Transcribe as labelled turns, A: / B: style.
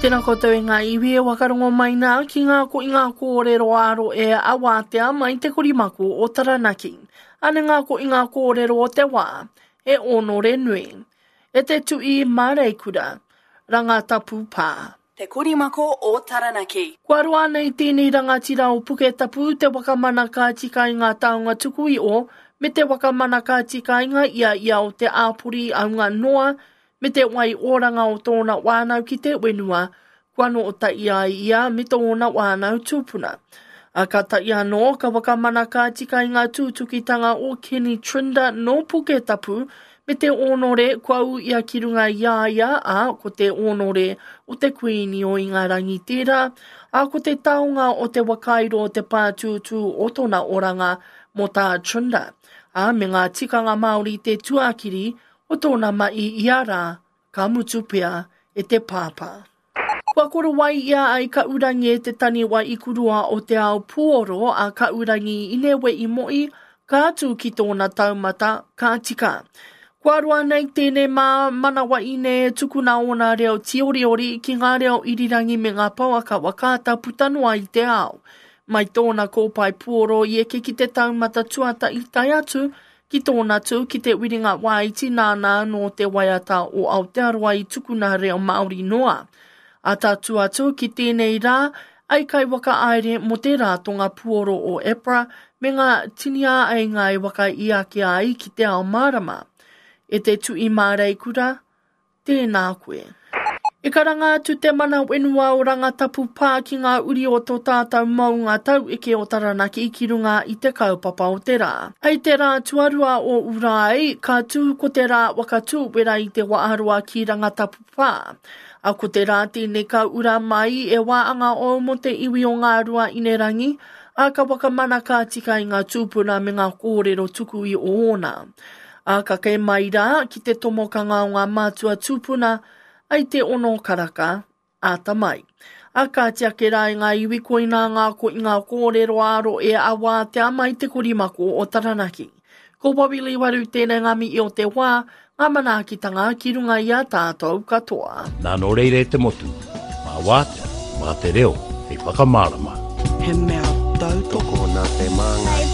A: Tēnā koutou e ngā iwi e wakarongo mai nā ki ngā ko i ngā kōrero āro e awātea mai te korimako o Taranaki. Ane ngā ko i ngā kōrero o te wā, e ōnore nui. E te tui māreikura, Rangatapu pā.
B: Te Korimako o Taranaki.
A: Kua roa nei tēnei rangatira o Puketapu te waka mana ka tika i ngā taonga tuku iho me te waka mana ka tika i ngā ia ia o te āpori aunga noa me te wai oranga o tōna whānau ki te whenua kua nōta i a ia me tōna whānau tūpuna. A ka tae anō ka whakamana ka tika i ngā tūtukitanga o Kenny Trinder nō Puketapu me te ōnore kua ū ia ki runga i a ia, ā, ko te ōnore o te Kuīni o Ingarangi tērā, ā, ko te taonga o te wakairo o te pātūtū o tōna oranga mō tā Trinder, ā, me ngā tikanga Māori te tuakiri o tōna mahi ia rā, ka mutu pea e te pāpā. Kua korowai ia ai Kaurangi e te taniwa ikuroa o te ao puoro a Kaurangi inewe i moi, ka atu ki tōna taumata, ka tika. Kua roa nei tēnei mā manawa ine e tukuna ōna reo tīoriori ki ngā reo irirangi me ngā pouaka whakaata puta noa i te ao. Mai tōna kōpae puoro i eke ki te taumata tuatahi tae atu Ki tōna tū ki te wiringa wāiti nāna anō te waiata o Aotearoa i tukuna reo Māori noa. Ā tatū atu ki tēnei rā, ai kaiwhakahaere mō te rātonga puoro o APRA me ngā tini āheinga e whakaī ake ai ki te ao mārama. E te tui māreikura, Tēnā koe. E karanga atu te mana whenua o Rangatapu Pā ki ngā uri o tō tātou mounga taueke o Taranaki ki runga i te kaupapa o te rā. Hei te rā tuarua o Urae, ka tū ko te rā waka tūwera i te Waaroa ki Rangatapu Pā. A ko te rā tēnei ka ura mai e wāanga ou mō te iwi o Ngā Ruaīnerangi, ā, ka whakamana ka tika i ngā tūpuna me ngā kōrero tuku i o ōna. Ā, ka kē mai rā ki te tomokanga o ngā mātua tūpuna, ai te ono karaka, āta mai. Ā, kāti ake rā i ngā iwi koinā ngā ko i ngā kōrero ā-rohe a wātea mai te korimako o Taranaki. Ko Wawili Waru tēnei ngā mihi o te wā, ngā manaakitanga ki runga i a tātou katoa.
C: Nā nō reira e te motu, mā wātea, mā te reo hei whakamārama.
D: He mea tautoko nā te māngai.